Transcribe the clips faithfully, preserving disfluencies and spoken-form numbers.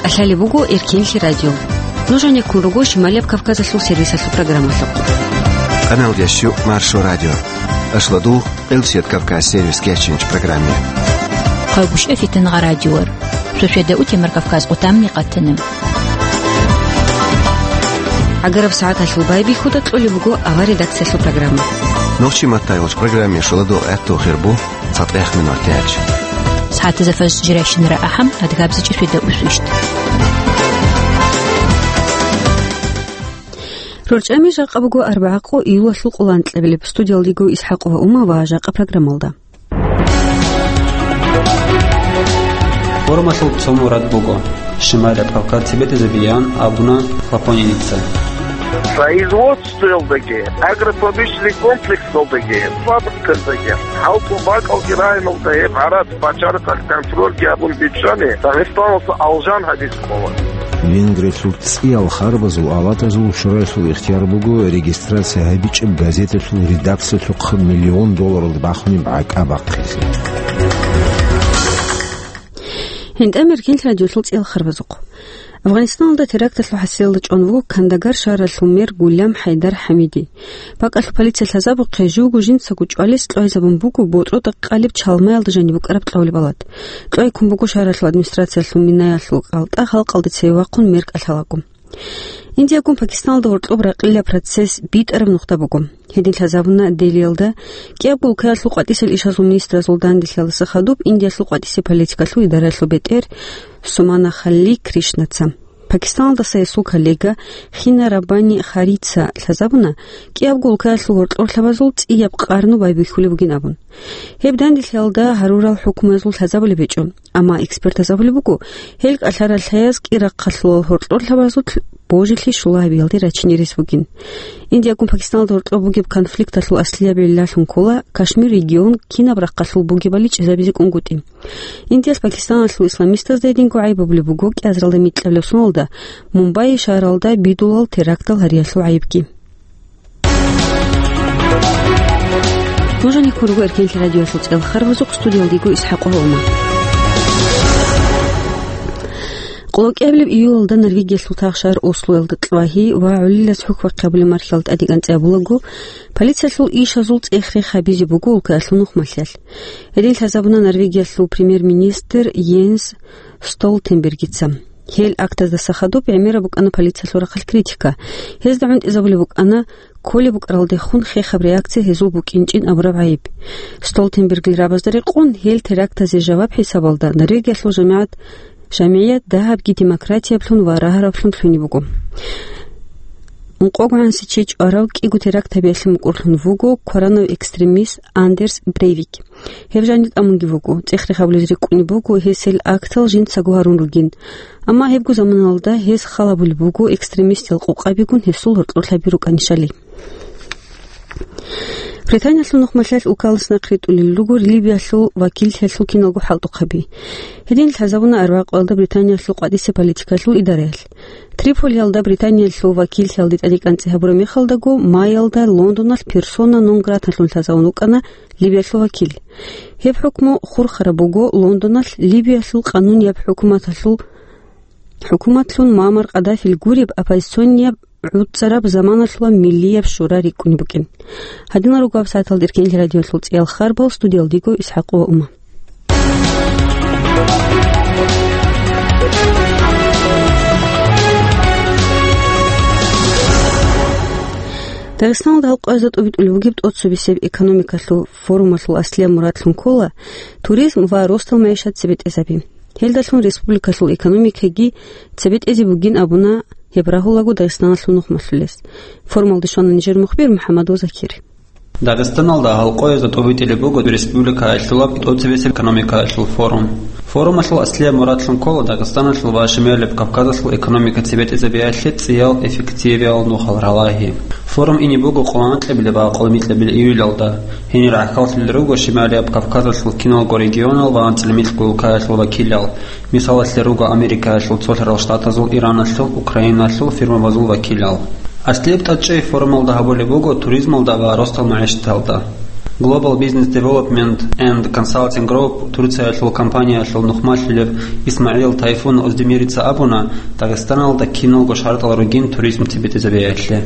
КӀалъалеб буго Эркенлъи радио. Нуж гьанеккун руго Шималияб Кавказалъул сервисалъул программалъухъ. Канал дящу Маршо радио. Ашладул Элсият Кавказ сервис кечинч программе. Хъайбушев Фитангъа радиор. Суседа утемар Кавказ отамни къатана. ГӀагараб сагӀаталъул байбихьуда кьолеб буго авар редакциялъул программа. Нохчи маттайгъуч программе шуладул гӀатту хирбу. ЦатӀех минут яч. СагӀатазда фажр жирайщинара ахӀам, адгабзичӀи среда усвищт. РорчӀами жакъа буго арбагӀакъо июлалъул къоло анкьабилеб. Студиялдего ИсхӀакъова Ума ва жакъа программалда. Форумалъул цо мурад буго. Шималияб Кавказ цебетӀезабиян абуна Флаконеница. Производство Целдаги, агропромышленный комплексалдаги, фабрикалдаги, хӀалтӀу бакӀалги районалда гьеб гӀарац бачарахъалъ контрольги гьабун бичӀчӀани, Дагъистаналъа алжан гьабиз ккола. Венгриялъул цӀиял харбазул аватазул шураялъул ихтияр буго регистрация гьабичӀеб газеталъул редакциялъухъ миллион долларалда бахунеб гӀакӀа бахъизе. ГьинтӀа Эркенлъи радиолъул цӀиял харбазухъ. Афганистаналда теракталъул хӀасилалда чӀван вуго Кандагар шагьаралъул мэр Гулям ХӀайдар ХӀамиди. БакӀалъул полиция лъазабухъе, живго жинцаго чӀвалес кьвайзабун буго ботӀрода къалеб чалмаялда жаниб букӀараб кьавлеб алат. Кьвайккун буго шагьаралъул администрациялъул минаялъул кӀалтӀа халкъалде цеве вахъун мер кӀалъалаго. Индиягун Пакистаналда гьоркьоб ракъила процесс битӀараб нухда буго. Гьедин лъазабуна Делиялда кӀиябго улкаялъул къватӀисел ишазул министразул данделъиялдаса хадуб Индиялъул къватӀисеб политикалъул идараялъул бетӀер Сумана Халли Кришнаца. Пакистаналдаса гьесул коллега Хина Раббани Харица лъазабуна, кӀиябго улкаялъул гьоркьорлъабазул цӀияб къарну байбихьулеб бугин абун. Гьеб данделъиялда гьарурал хӀукмуязул лъазабулеб гьечӀо. Амма экспертаз абулеб буго, гьел кӀалъарал лъаяз кӀирахъалъулал гьоркьорлъабазулъ божилъи щула гьабиялде рачине рес бугин. Индиягун Пакистаналда гьоркьоб бугеб конфликталъул аслияб гӀиллалъун ккола Кашмир регион кинаб рахъалъул бугебали чӀезабизе кӀунгутӀи. Индиялъ Пакистаналъул исламистазда гьединго гӀайиб гьабулеб буго кӀиазаралда микьабилеб соналда Мумбай шагьаралда бидулал терактал гьариялъул гӀайибги. Нуж гьанеккун руго Эркенлъи радиоялъул цӀиял харбазухъ, студиялдего ИсхӀакъова Ума. Къоло кӀиабилеб июлалда Норвегиялъул тахшар Ослоялда кьвагьи ва гӀолилас хӀухь бахъи гьабулеб мархьалда тӀадегӀан цӀи гьабулаго, полициялъул ишазул цӀех-рех гьабизе буго улкаялъул нухмалъиялъ. Гьедин лъазабуна Норвегиялъул премьер-министр Йенс Столтенбергица. Гьел актаздаса хадуб гӀемераб букӀана полициялъул рахъалъ критика. Гьезда гӀунтӀизабулеб букӀана кколеб букӀаралдехун хехаб реакция гьезул букӀинчӀин абураб гӀайиб. Столтенбергил рабазда рекъон, гьел терактазе жаваб хӀисабалда Норвегиялъул жамигӀат, жамигӀият дагьабги демократияблъун ва рагьараблъун лъугьунеб буго. Ункъого гӀанасеб чи чӀварав кӀиго теракт гьабиялъе мукӀурлъун вуго кваранав экстремист Андерс Брейвик. Гьеб жанир тӀамунги вуго, цӀех-рех гьабулез рикӀкӀунеб буго гьес гьел актал жинцаго гьарун ругин. Амма гьебго заманалда гьес хал гьабулеб буго экстремистиял къокъабигун гьесул гьоркьорлъаби рукӀанищали. Британиялъул нухмалъиялъ улкалас нахъритӀулел руго Ливиялъул вакиллъиялъул киналго хӀалтӀухъаби. Гьедин лъазабуна арбагӀкъоялда Британиялъул къватӀисеб политикалъул идараялъ. Триполиялда Британиялъул вакиллъиялде тӀадегӀан цӀи гьабураб мехалдаго, майялда Лондоналъ персона нон граталъун лъазабун вукӀана Ливиялъул вакил. Гьеб хӀукму хурхараб буго Лондоналъ Ливиялъул къанунияб хӀукуматалъул, хӀукуматлъун Муаммар Къаддафил гуреб оппозиционияб гӀуцӀараб заманалъула миллияб шура рикӀкӀунеб букӀин. Гьадинал руго гьаб сагӀаталда Эркенлъи радиоялъул цӀиял харбал, студиялдего ИсхӀакъова Ума. Дагъистаналда гьалкъоязда тӀубитӀулеб бугеб тӀоцебесеб экономикалъул форумалъул аслияб мурадлъун ккола туризм ва ростал магӀишат цебетӀезаби. Гьелдалъун республикалъул экономикаги цебетӀезе бугин абуна гьеб рагьулаго Дагъистаналъул нухмалъулес. Форумалде щвана нижер мухбир МухӀаммадов Закир. Дагъистаналда гьалкъоязда тӀубитӀулеб буго республикаялъулаб тӀоцебесеб экономикаялъул форум. Форумалъул аслияб мурадлъун ккола Дагъистаналъул ва Шималияб Кавказалъул экономика цебетӀезабиялъе цӀиял эффективиял нухал ралагьи. Форум ине буго къоло анкьабилеб ва къоло микьабилеб июлалда. Гьенир гӀахьаллъулел руго Шималияб Кавказалъул киналго регионал ва анцӀила микьго улкаялъул вакилал, мисалалъе руго Америкаялъул Цолъарал Штатазул, Ираналъул, Украиналъул фирмабазул вакилал. Аслияб тӀадчӀей форумалда гьабулеб буго туризмалда ва ростал магӀишаталда. Global Business Development and Consulting Group Турциялъул компаниялъул нухмалъулев ИсмагӀил Тайфун Оздемирица абуна, Дагъистаналда киналго шартӀал ругин туризм цебетӀезабиялъе.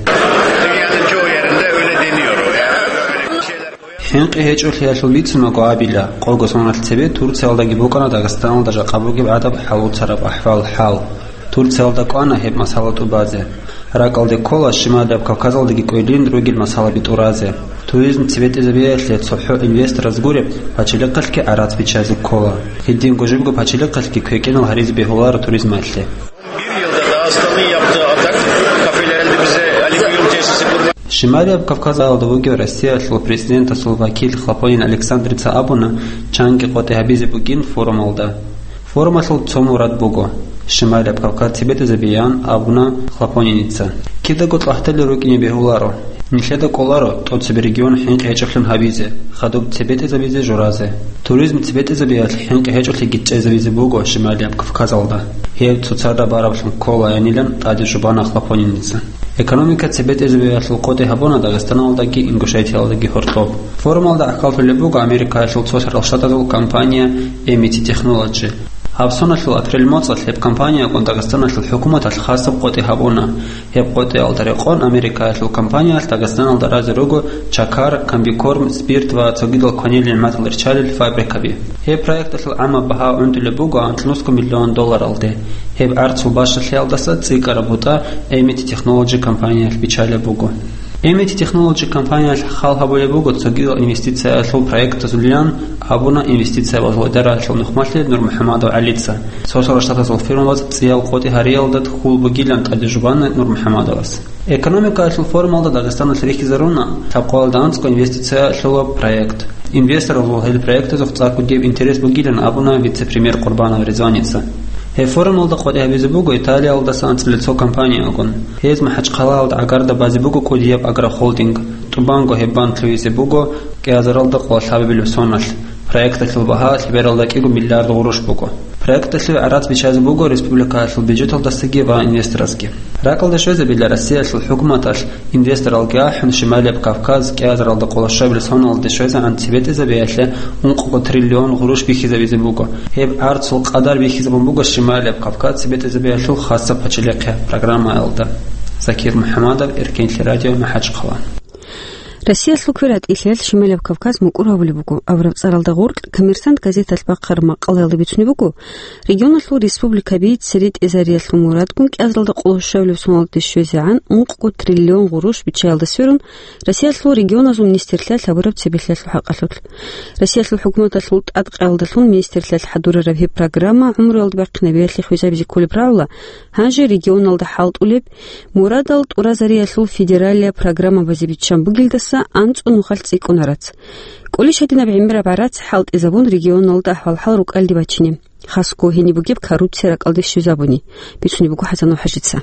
ХӀинкъи гьечӀолъиялъул бицунаго абила, къого соналъ цебе Турциялдаги букӀана Дагъистаналда жакъа бугеб гӀадаб хӀалуцараб ахӀвал-хӀал. Турциялда кӀвана гьеб масала тӀубазе. РакӀалде ккола Шималияб Кавказалдаги кӀвелин ругел масалаби тӀуразе. Туризм цебетӀезабиялъе цохӀо инвестораз гуреб пачалихъалъги гӀарац биччазе ккола. Гьединго жибго пачалихъалъги квекӀинал гьаризе бегьуларо туризмалъе. Шималияб Кавказалда вугев Россиялъул президентасул вакил Хлопонин Александрица абуна, чанги къотӀи гьабизе бугин форумалда. Форумалъул цо мурад буго, Шималияб Кавказ цебетӀезабеян абуна Хлопониница. Кидаго кьагьдали рукӀине бегьуларо. Нилъеда кӀоларо тӀоцебе регион хӀинкъи гьечӀоблъун гьабизе, хадуб цебетӀезабизе журазе. Туризм цебетӀезабиялъ хӀинкъи гьечӀолъиги чӀезавизе буго Шималияб Кавказалда. Гьеб цоцазда бараблъун кколаянилан тӀаде жубана Хлопониница. Экономика цебетӀезабиялъул къотӀи гьабуна Дагъистаналдаги Ингушетиялдаги гьоркьоб. Форумалда гӀахьаллъулеб буго Америкаялъул Цо-, Цо-, Цо-, Шарал Штатазул компания Эмити Технолоджи. Гьаб соналъул апрель моцӀалъ гьеб компаниягун Дагъистаналъул хӀукуматалъ хасаб къотӀи гьабуна. Гьеб къотӀиялда рекъон Америкаялъул компаниялъ Дагъистаналда разе руго чакар, комбикорм, спирт ва цогидал кванил нигӀматал риччалел фабрикаби. Гьеб проекталъул гӀамаб багьа гӀунтӀулеб буго анкьнусго миллион долларалде. Гьеб гӀарцул бащалъиялдаса цӀикӀкӀараб бутӀа Эмити Технолоджи компаниялъ биччалеб буго. Эмити Технолоджи компаниялъ хал гьабулеб буго цогидал инвестициялъул проектазулилан, абуна инвестициябазул идараялъул нухмалъи НурмухӀамадов ГӀалица. Цо-, Цо-, Цо-, Штатазул фирмабаз цӀиял къотӀи гьариялда хьул бугилан тӀаде жубана НурмухӀамадовас. Экономикаялъул форумалда Дагъистаналъ рихьизаруна лъабкъоялда анцӀго инвестициялъулаб проект. Инвесторалъул гьел проектазухъ цӀакъ бугеб интерес бугилан абуна вице-премьер Къурбанов Ризваница. Гьеб форумалда къотӀи гьабизе буго Италиялдаса анцӀила цо компаниягун. Гьез МахӀачхъалаялда гӀагарда базе буго кӀудияб агрохолдинг, тӀубанго гьеб бан лъугьизе буго кӀиазаралда къоло лъабабилеб соналъ. Проекталъул багьа лъебералда кӀиго миллиард гъурущ буго. Проекталъе гӀарац биччазе буго республикаялъул бюджеталдасаги ва инвесторасги. РакӀалде щвезабила Россиялъул хӀукуматалъ инвесторалги ахӀун, Шималияб Кавказ кӀиазаралда къоло щабилеб соналде щвезегӀан цебетӀезабиялъе ункъго триллион гъурущ бихьизабизе буго. Гьеб гӀарцул къадар бихьизабун буго Шималияб Кавказ цебетӀезабиялъул хасаб пачалихъе программаялда. Закир МухӀамадов, Эркенлъи радио, МахӀачхъала. Россиялъул квератӀилъиялъ Шималияб Кавказ мукӀур гьавулеб буго абураб цӀаралда гъоркь «Коммерсант» газеталъ бахъараб макъалаялда бицунеб буго, регионалъул республикаби цере тӀезариялъул мурадгун кӀиазаралда къоло щабилеб соналде щвезегӀан ункъго триллион гъурущ биччаялда сверун, Россиялъул регионазул министрлъиялъ гьабураб цебехӀлъиялъул хӀакъалъулъ. Россиялъул хӀукуматалъул тӀадкъиялдалъун министрлъиялъ хӀадурараб гьеб программа гӀумруялда бахъинабиялъе хвезабизе кколеб рагӀула, гьанже регионалда хӀалтӀулеб мурадал тӀуразариялъул федералияб программабазе биччан бугелдаса анцӀго нухалъ цӀикӀкӀун гӀарац. КӀолищ гьадинаб гӀемераб гӀарац хӀалтӀизабун регионалда ахӀвал-хӀал рукӀалде бачине. Хасго гьениб бугеб коррупция ракӀалде щвезабуни, бицунеб буго ХӀасанов ХӀажица.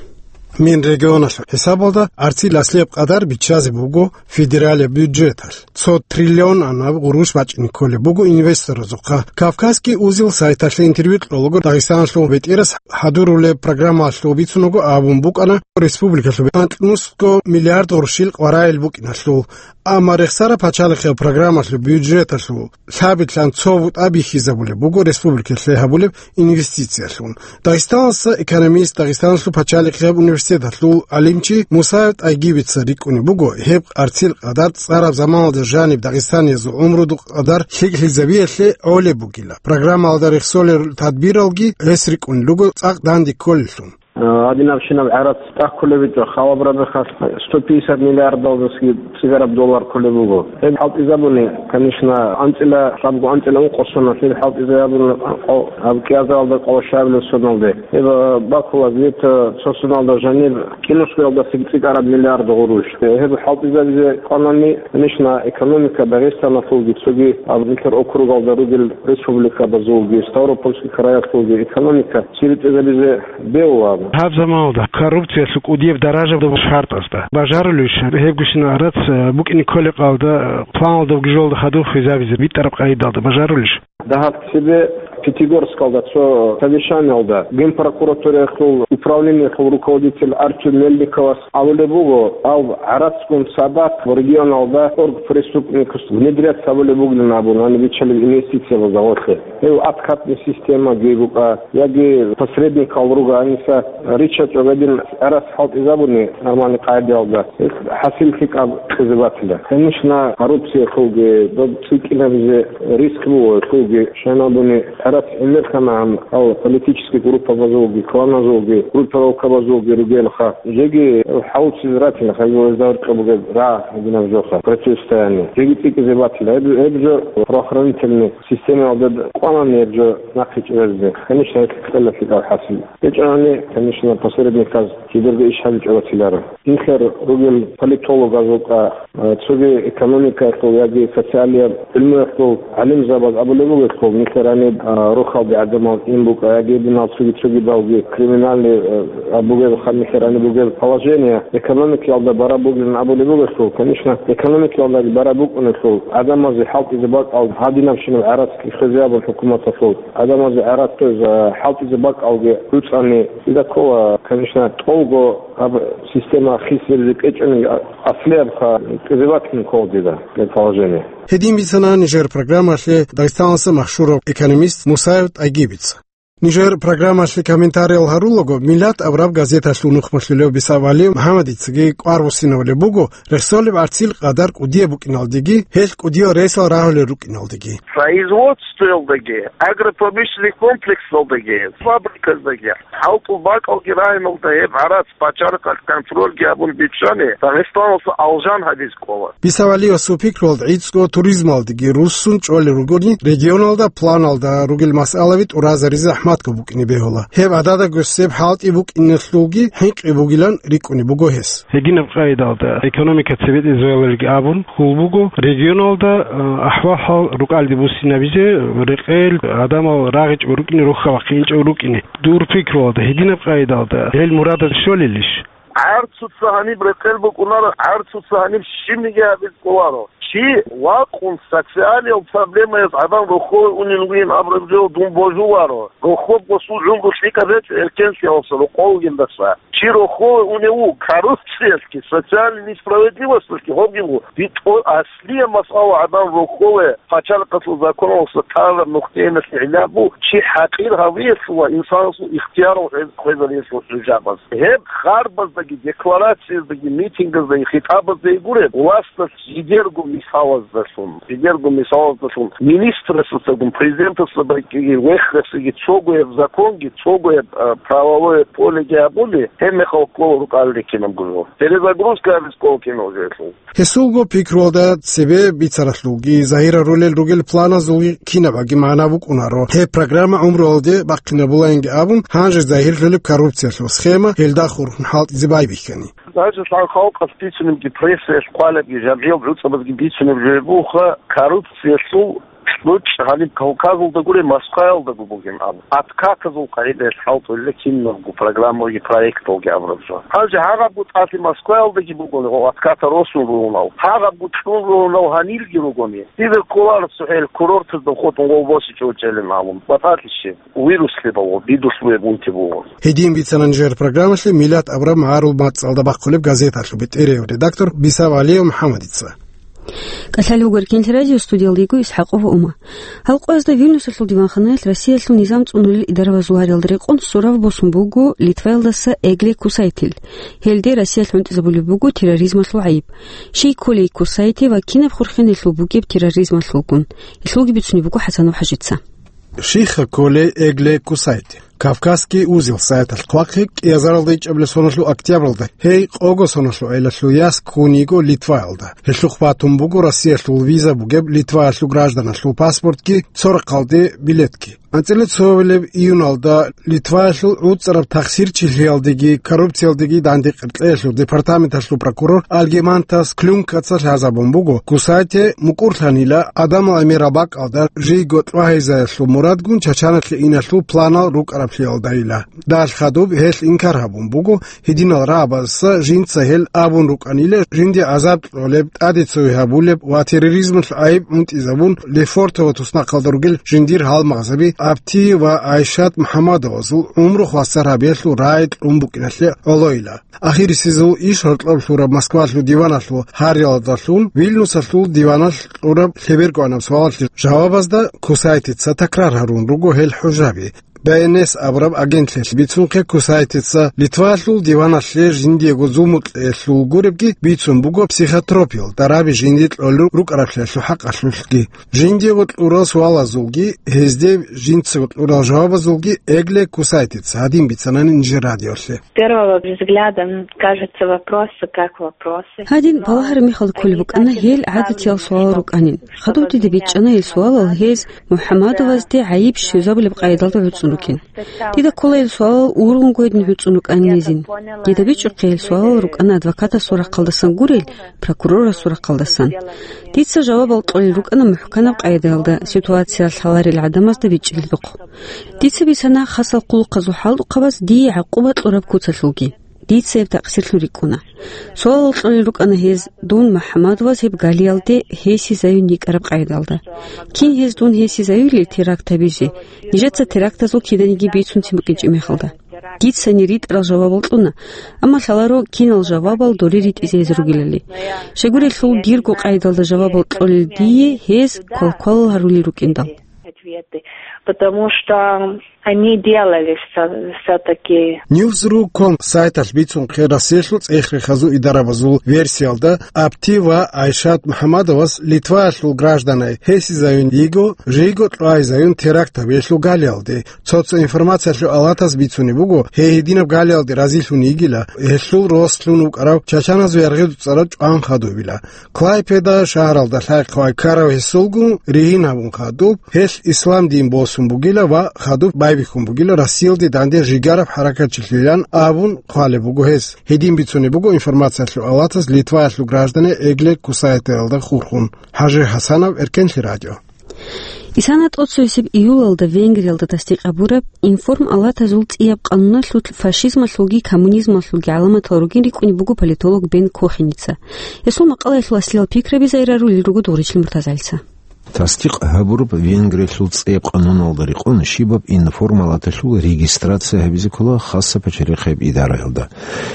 Минрегионалъул хӀисабалда гӀарцил аслияб къадар биччазе буго федералияб бюджеталъ. Цо триллионанаб гъурущ бачӀине кколеб буго инвесторазухъа. Кавказский узел сайталъе интервью кьолаго Дагъистаналъул бетӀерас хӀадурулеб программалъул бицунаго абун букӀана, республикалъул анкьнусго миллиард гъурущил къваригӀел букӀиналъул. Амма рехсараб пачалихъияб программалъул бюджеталъул лъабилъан цо бутӀа бихьизабулеб буго республикалъе гьабулеб инвестициялъун. Дагъистаналъуса экономист, Дагъистаналъул пачалихъияб университеталъул гӀалимчи Мусаев ТӀайгибица рикӀкӀунеб буго, гьеб гӀарцил къадар цӀараб заманалда жаниб дагъистаниязул гӀумрудул къадар лъикӀлъизабиялъе гӀолеб бугила. Программаялда рехсолел тадбиралги гьес рикӀкӀунел руго цӀакъ данде кколеллъун. Гьадинабщинаб гӀарац тӀаккулеб битӀа, халаб рабихъалъ сто пятьдесят миллиардалдасаги цӀикӀкӀараб доллар кколеб буго. Гьеб хӀалтӀизабуни, конечно, анцӀила, лъабго анцӀила ункъо соналъ гьеб хӀалтӀизабуни, къо-, гьаб кӀиазаралда къоло щабилеб соналде. Гьеб бакула где-то цо соналда жаниб кӀинусгоялдасаги цӀикӀкӀараб миллиард гъурущ. Гьеб хӀалтӀизабизе кӀванани, конечно, экономика Дагъистаналъулги, цоги гьаб нилъер округалда ругел республикабазулги, Ставропольский краялъулги экономика цебетӀезабизе бегьуларо. Гьаб заманалда коррупциялъул кӀудияб даражаб шартӀазда бажарулищ гьебгощинал гӀарац, э, букӀине кколеб къаялда, э, планалда вугеб жоялда хадуб хвезабизе битӀараб къагӀидалда бажарулищ? Дагьаб цебе Пятигорскалда цо совещаниялда Генпрокуратураялъул управлениялъул руководитель Артём Мельниковас абулеб буго, гьаб гӀарацгун цадахъ регионалда оргпреступникас внедрять гьабулеб бугилан абун, гьаниб биччалеб инвестициябазда гъорлъе. Гьев откатный системаги букӀа, яги посредникал руго, гьаниса риччачӀо гьедин гӀарац хӀалтӀизабуни нормальный къагӀидаялда, гьес хӀасил лъикӀаб кьезе батила. Конечно, коррупциялъулги, доб цӀикӀкӀинабизе риск буго, лъулги шайнабуни гӀарац гӀемерлъана гьаб, гьал политический группабазулги, кланазулги, группировкабазулги ругелха. Жеги хӀалуцизаратила, хӀайбу гьезда гьоркьоб бугеб рагӀ гьединаб жоха, противостояние. Жеги цӀикӀкӀизе батила. Гьеб, гьеб жо правоохранительный системаялда кӀванани гьеб жо нахъе чӀезаризе. Конечно, гьелъ кьела лъикӀаб хӀасил. ГьечӀони, конечно, посредниказ жидерго иш гьабичӀого батиларо. Нилъер ругел политологазул къа, э, цоги экономикаялъул яги социалияб гӀилмуялъул гӀалимзабаз абулеб бугелъул, нилъер гьаниб, э, рохалде гӀадамал ин букӀа, яги гьединал цоги-цогидалги криминальный, э, абугеб, ха-, нилъер гьаниб бугеб положение экономикаялда бараб бугилан абулеб бугелъул, конечно, экономикаялдаги бараб букӀунелъул, гӀадамазе хӀалтӀизе бакӀал гьадинабщинаб гӀарацги хвезе абун хӀукуматалъул, гӀадамазе гӀарац хвеза, хӀалтӀизе бакӀалги гӀуцӀани, дида ккола, конечно, тӀолго гьаб система хисизе кӀвечӀони аслиябха кьезе батилин ккола дида предположение. Гьедин бицана нижер программалъе Дагъистаналъа машгьурав экономист Мусаев ТӀайгибица. Нижер программалъе комментариял гьарулаго, «Миллат» абураб газеталъул нухмалъулев Бисав ГӀалиев МухӀаммадицаги кӀвар буссинавулеб буго, рехсолеб гӀарцил къадар кӀудияб букӀиналдеги, гьелъ кӀудиял ресал рагьулел рукӀиналдеги. Производствоялдаги, агропромышленный комплексалдаги, фабриказдаги, хӀалтӀул бакӀалги рагьиналда гьеб гӀарац пачарихъалъ контрольги гьабун биччани, Дагъистаналъа алжан гьабизе кӀола. Бисав ГӀалиевасул пикруялда, гӀицӀго туризмалдеги руссун чӀолел ругони, регионалда планалда ругел масъалаби тӀуразаризе захӀматго букӀине бегьула. Гьеб гӀадада гьесеб хӀалтӀи букӀиналъулги хӀинкъи бугилан рикӀкӀунеб буго гьес. Гьединаб къайдалда экономика цебетӀезавулелги абун хьул буго, регионалда, а, ахӀвал-хӀал рукӀалде буссинабизе, рекъел гӀадамал рагъичӀого рукӀине, рохьа вахъинчӀого рукӀине. Дур пикруялда, гьединаб къайдалда гьел мурадаз щолелищ? ГӀарцуца гьаниб рекъел букӀунаро, гӀарцуца гьаниб щибниги гьабизе кӀоларо. Чи вакъун социалиял проблемаяз гӀадан рохьове унел вугин абураб жо дун божуларо. Рохьоб гъосул гӀумру лъикӀаб гьечӀо эркенлъиялдаса, рокъов вугелдаса. Чи рохьове унев вуго коррупциялъги, социальный несправедливосталъги, гьобги буго битӀо-, аслияб масъала гӀадан рохьове пачалихъалъул законалдаса тараб нухтеялъе гӀилла буго, чи хӀакъир гьавиялъул ва инсанасул ихтиярал хвез-, хвезариялъул хӀужабаз. Гьеб харбаздаги, декларацияздаги, митингаздаги, хитӀабаздаги гуреб, власталъ жидерго мисалаздалъун, жидерго мисалаздалъун, министрасдасагун, президентасда бакӀиги, вехрасиги, цогояб законги, цогояб, а, правовое полеги абули, гьеб мехалъ ккола рукӀалде кинабго жо. Перезагрузка гьабизе ккола кинабго жо гьелъул. Гьесулго пикруялда, цебе бицаралъулги, загьирарулел ругел планазулги кинабаги магӀна букӀунаро. Гьеб программа гӀумруялде бахъинабулаинги абун, гьанже загьирлъулеб коррупциялъул схема гьелда хурхун хӀалтӀизе байбихьани. Даже лъан халкъалъ бицунебги, прессаялъ хъвалебги, жамгӀиял гӀуцӀабазги бицунеб жо бугоха, коррупциялъул кьучӀ гьаниб Кавказалда гуреб, Москваялдаго бугин абун. Откатазул къагӀидаялъ хӀалтӀулел кинабго программаги проекталги абураб жо. Гьанже гьагъабго тӀалъи Москваялдаги бугони, гъо, отката росун ругьунал. Гьагъабго кьун ругьунал гьанирги ругони. Дида кколаро цохӀел курортазда хутӀун гъов босичӀо чӀелин абун. БатӀалъищи? Вирус лъебал, бидулъ бугеб унти буго. Гьедин бицана нижер программалъе «Миллат» абураб магӀарул мацӀалда бахъулеб газеталъул бетӀерияв редактор Бисав ГӀалиев МухӀаммадица. КӀалъалев вуго Эркенлъи радио, студиялда йиго ИсхӀакъова Ума. Гьал къоязда Вильнюсалъул диванханаялъ Россиялъул низам цӀунулел идаравазул гьариялда рекъон сурав босун буго Литваялдаса Эгле Кусайтил. Гьелде Россиялъ гӀунтӀизабулеб буго терроризмалъул гӀайиб. Щай кколей Кусайте ва кинаб хурхен гьелъул букӀеб терроризмалъулгун? Гьелъулги бицунеб буго ХӀасанов ХӀажица. Щай кколей Эгле Кусайте? Кавказский узел сайталъ хъвахъи кӀиазаралда ичӀабилеб соналъул октябралда, гьей къого соналъул гӀелалъул яс ккун йиго Литваялда. Гьелъухъ батун буго Россиялъул виза бугеб Литваялъул гражданалъул паспортги, цо рахъалде билетги. АнцӀила цоабилеб июналда Литваялъул гӀуцӀараб тахсирчилъиялдеги коррупциялдеги дандекъ кьеялъул департаменталъул прокурор Альгимантас Клюнкаца лъазабун буго, Кусайте мукӀурлъанила гӀадамал гӀемераб бакӀалда жийго тӀвагьизаялъул мурадгун Чачаналъе иналъул планал рукӀараб гьабиялдайила. Далъ хадуб гьелъ инкар гьабун буго, гьединал рагӀабазда жинца гьел абун рукӀанила, жинде гӀазаб кьолеб, тӀаде цоги гьабулеб ва терроризмалъ гӀайиб гӀунтӀизабун, Лефортово туснахъалда ругел жиндир гьалмагъзаби Абти ва Айшат МухӀаммадовазул гӀумру хвасар гьабиялъул рагӀи кьун букӀиналъе гӀолойила. Ахирисезул иш гьоркьоб лъураб Москвалъул диваналъул гьариялдалъун Вильнюсалъул диваналъ кьураб лъеберго гӀанаб суалалъе жавабазда Кусайтица такрар гьарун руго гьел хӀужаби. Б Н С абураб агентлъиялъ бицунхъе, Кусайтица Литвалъул диваналъе жиндиего зулму кьеялъул гуребги бицун буго психотропиялъ дараби жинди кьолел рукӀараблъиялъул хӀакъалъулъги. Жиндиего кьурал суалазулги, гьезде жинцаго кьурал жавабазулги Эгле Кусайтица гьадин бицанани нижер радиолъе. С первого взгляда, м, кажется, вопросы как вопросы. Гьадин балагьараб мехалда кколеб букӀана гьел гӀадатиял суалал рукӀанин. Хадуб дида бичӀчӀана гьел суалал гьез МухӀаммадовазде гӀайиб щвезабулеб къайдалда гӀуцӀун рукӀин. Дида ккола гьел суалал ургъунго гьедин гӀуцӀун рукӀанин гьезин. Дида бичӀчӀухъе гьел суалал рукӀана адвокатасул рахъалдасан гурел, прокурорасул рахъалдасан. Дица жавабал кьолел рукӀана мухӀканаб къайдаялда, ситуация лъаларел гӀадамазда бичӀчӀилдухъ. Дица бицана хасал хъулухъазул хӀалтӀухъабаз дие гӀакъуба кьураб куцалъулги. Дица гьеб такъсирлъун рикӀкӀуна. Суалал кьолел рукӀана гьез, дун МухӀаммадоваз гьеб галиялде гьесизаюн йикӀараб къайдалда. Кин гьез дун гьесизаюлел теракт гьабизе? Нижеца терактазул киданиги бицунцин букӀинчӀеб мехалда. Дицани ритӀарал жавабал кьуна, амма лъаларо кинал жавабал доре ритӀизе гьез ругелали. Щайгурелъул дирго къайдалда жавабал кьолел дие гьез квалквалал гьарулел рукӀиндал. Ответы, потому что они делали всё-, всё-таки. Ньюсру ком сайталъ бицунхъе Россиялъул цӀех-рехазул идарабазул версиялда, Абти ва Айшат МухӀаммадовас Литваялъул гражданай гьесизаюн йиго, жийго кьвайзаюн теракт гьабиялъул галиялде, цо-цо информациялъул алатас бицунеб буго, гьей гьединаб галиялде разилъун йигила, гьелъул рос лъун вукӀарав чачаназул яргъи дуцӀарав чӀван хадубила. Клайпеда шагьаралда лъай-хъвай ккарав гьесулгун ригьин гьабун хадуб, гьелъ ислам дин босун бугила ва хадуб байбихьун бугила Россиялде данде жигараб хӀаракатчилъилан абун хъвалеб буго гьес. Гьедин бицунеб буго информациялъул алатас Литваялъул граждане Эгле Кусайтиялда хурхун. ХӀажи ХӀасанов, Эркенлъи радио. Исана тӀоцевесеб июлалда Венгриялда тасдикъ гьабураб информ-алатазул цӀияб къануналъулъ фашизмалъулги коммунизмалъулги гӀаламатал ругин рикӀкӀунеб буго политолог Бен Кохеница. Гьесул макъалаялъул аслиял пикраби зайрарулел руго Дугъричлъи Муртазалица. Тасдикъ гьабураб Венгриялъул цӀияб къануналда рекъон щибаб информ-алаталъул регистрация гьабизе ккола хасаб пачалихъияб идараялда.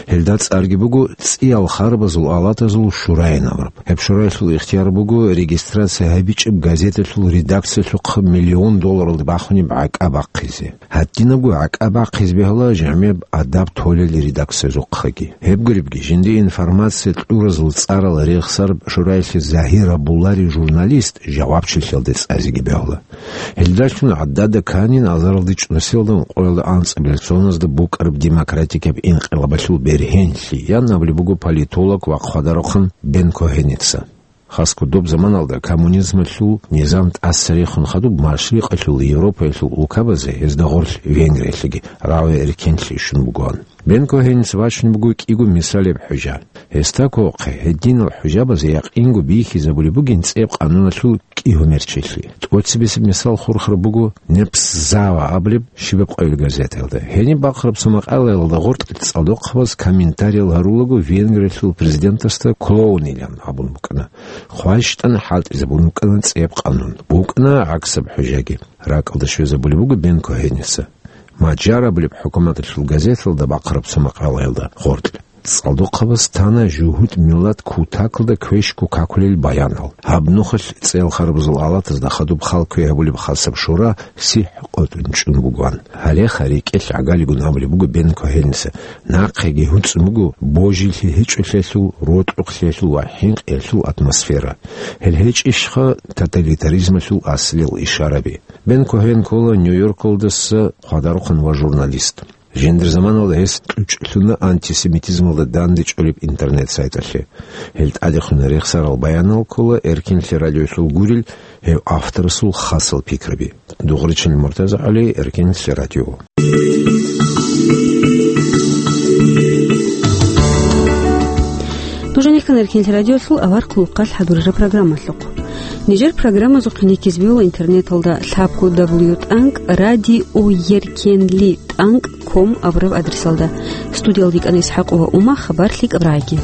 Гьелда цӀарги буго цӀиял харабазул алатазул шураин абураб. Гьеб шураялъул ихтияр буго регистрация гьабичӀеб газеталъул редакциялъухъ миллион долларалда бахунеб гӀакӀа бахъизе. Гьадинабго гӀакӀа бахъизе бегьула жамияб адаб толел редакциязухъаги. Гьеб гуребги, жинди информация кьуразул цӀарал рехсараб шураялъе загьир гьабуларев журналист жавабчилъиялде цӀазеги бегьула. Гьелдалъун гӀадада канин азаралде чӀунусиялда ункъоялда анцӀабилеб соназда букӀараб демократикаб инкъилабалъул бергьенлъи, ян абулеб буго политолог ва хъвадарухъан Бен Кохеница. Хасго доб заманалда коммунизмалъул низам тӀаса рехун хадуб Машрикъалъул Европаялъул улкабазе, гьезда гъорлъ Венгриялъеги, рагӀи эркенлъи щун бугоан. Бен Кохеница вачун буго кӀиго мисалеб хӀужа. Гьесда кколхъе, гьединал хӀужабазе якъинго бихьизабулеб бугин цӀияб къануналъул кӀигьумерчилъи. ТӀоцебесеб мисал хурхараб буго Непсзава абулеб щибаб къоялъ газетаялда. Гьениб бахъараб цо макъалаялда гъоркь цӀалдохъабаз комментариял гьарулаго Венгриялъул президентасда клоунилан абун букӀана. ХъвайщтӀан хӀалтӀизабун букӀана цӀияб къанун. БукӀана гӀаксаб хӀужаги. РакӀалда щвезабулеб буго Бен Кохеница. Маджар абулеб хӀукуматалъул газеталда бахъараб цо макъалаялда гъоркь цӀалдохъабаз тана жугьутӀ миллат кутакалда квешго какулел баянал. Гьаб нухалъ цӀел харабазул алатазда хадуб хал кквей гьабулеб хасаб шура сихӀ къотӀун чӀун бугоан. Гьалеха рекӀелъ гӀагалигун абулеб буго Бен Кохеница. Нахъеги гьуцӀун буго божилъи гьечӀолъиялъул, рокьухълъиялъул ва хӀинкъиялъул атмосфера. Гьел гьечӀищха тоталитаризмалъул аслиял ишараби? Бен Кохен ккола Нью-Йоркалдаса хъвадарухъан ва журналист. Жиндир заманалда гьес кьучӀлъуна антисемитизмалда дандечӀолеб интернет-сайталъе. Гьел тӀадехун рехсарал баянал ккола Эркенлъи радиоялъул гурел гьев авторасул хасал пикраби. Дугъричин МуртазагӀали, Эркенлъи радио. Нуж нехъан Эркенлъи радиоялъул авар хъулухъалъ хӀадурараб программалъухъ. Нижер программазухъе рекизбиула интернеталда лъабго дабл ю тӀанкӀ радио еркенли тӀанкӀ ком абураб адресалда. Студиялда йикӀана ИсхӀакъова Ума, хабар лъикӀаб рагӀиги.